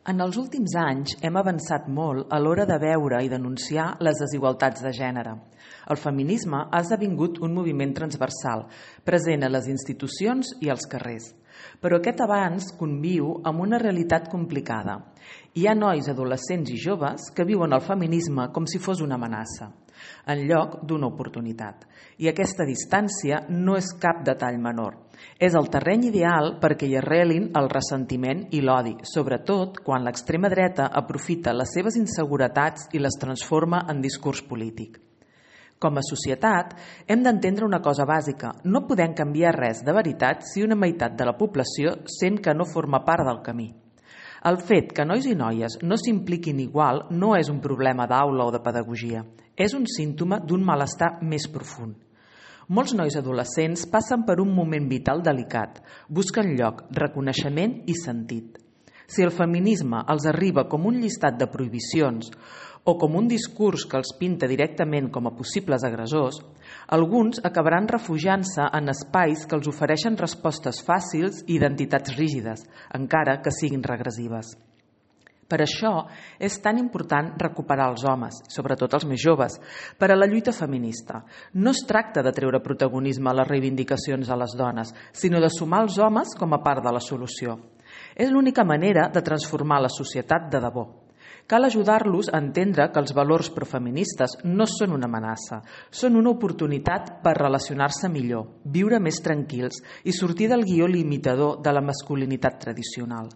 En els últims anys hem avançat molt a l'hora de veure i denunciar les desigualtats de gènere. El feminisme ha esdevingut un moviment transversal, present a les institucions i als carrers. Però aquest avanç conviu amb una realitat complicada. Hi ha nois, adolescents i joves que viuen el feminisme com si fos una amenaça, en lloc d'una oportunitat. I aquesta distància no és cap detall menor. És el terreny ideal perquè hi arrelin el ressentiment i l'odi, sobretot quan l'extrema dreta aprofita les seves inseguretats i les transforma en discurs polític. Com a societat, hem d'entendre una cosa bàsica. No podem canviar res de veritat si una meitat de la població sent que no forma part del camí. El fet que nois i noies no s'impliquin igual no és un problema d'aula o de pedagogia. És un símptoma d'un malestar més profund. Molts nois adolescents passen per un moment vital delicat, busquen lloc, reconeixement i sentit. Si el feminisme els arriba com un llistat de prohibicions o com un discurs que els pinta directament com a possibles agressors, alguns acabaran refugiant-se en espais que els ofereixen respostes fàcils i identitats rígides, encara que siguin regressives. Per això és tan important recuperar els homes, sobretot els més joves, per a la lluita feminista. No es tracta de treure protagonisme a les reivindicacions a les dones, sinó de sumar els homes com a part de la solució. És l'única manera de transformar la societat de debò. Cal ajudar-los a entendre que els valors profeministes no són una amenaça, són una oportunitat per relacionar-se millor, viure més tranquils i sortir del guió limitador de la masculinitat tradicional.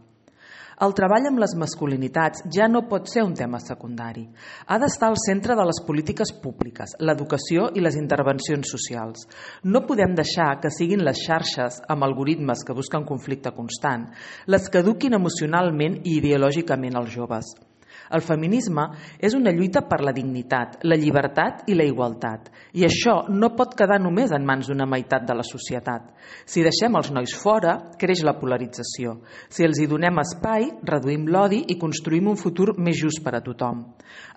El treball amb les masculinitats ja no pot ser un tema secundari. Ha d'estar al centre de les polítiques públiques, l'educació i les intervencions socials. No podem deixar que siguin les xarxes, amb algoritmes que busquen conflicte constant, les que eduquin emocionalment i ideològicament els joves. El feminisme és una lluita per la dignitat, la llibertat i la igualtat. I això no pot quedar només en mans d'una meitat de la societat. Si deixem els nois fora, creix la polarització. Si els hi donem espai, reduïm l'odi i construïm un futur més just per a tothom.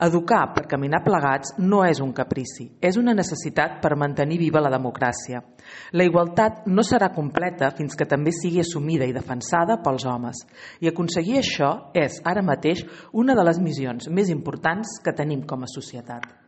Educar per caminar plegats no és un caprici, és una necessitat per mantenir viva la democràcia. La igualtat no serà completa fins que també sigui assumida i defensada pels homes. I aconseguir això és, ara mateix, una de les missions més importants que tenim com a societat.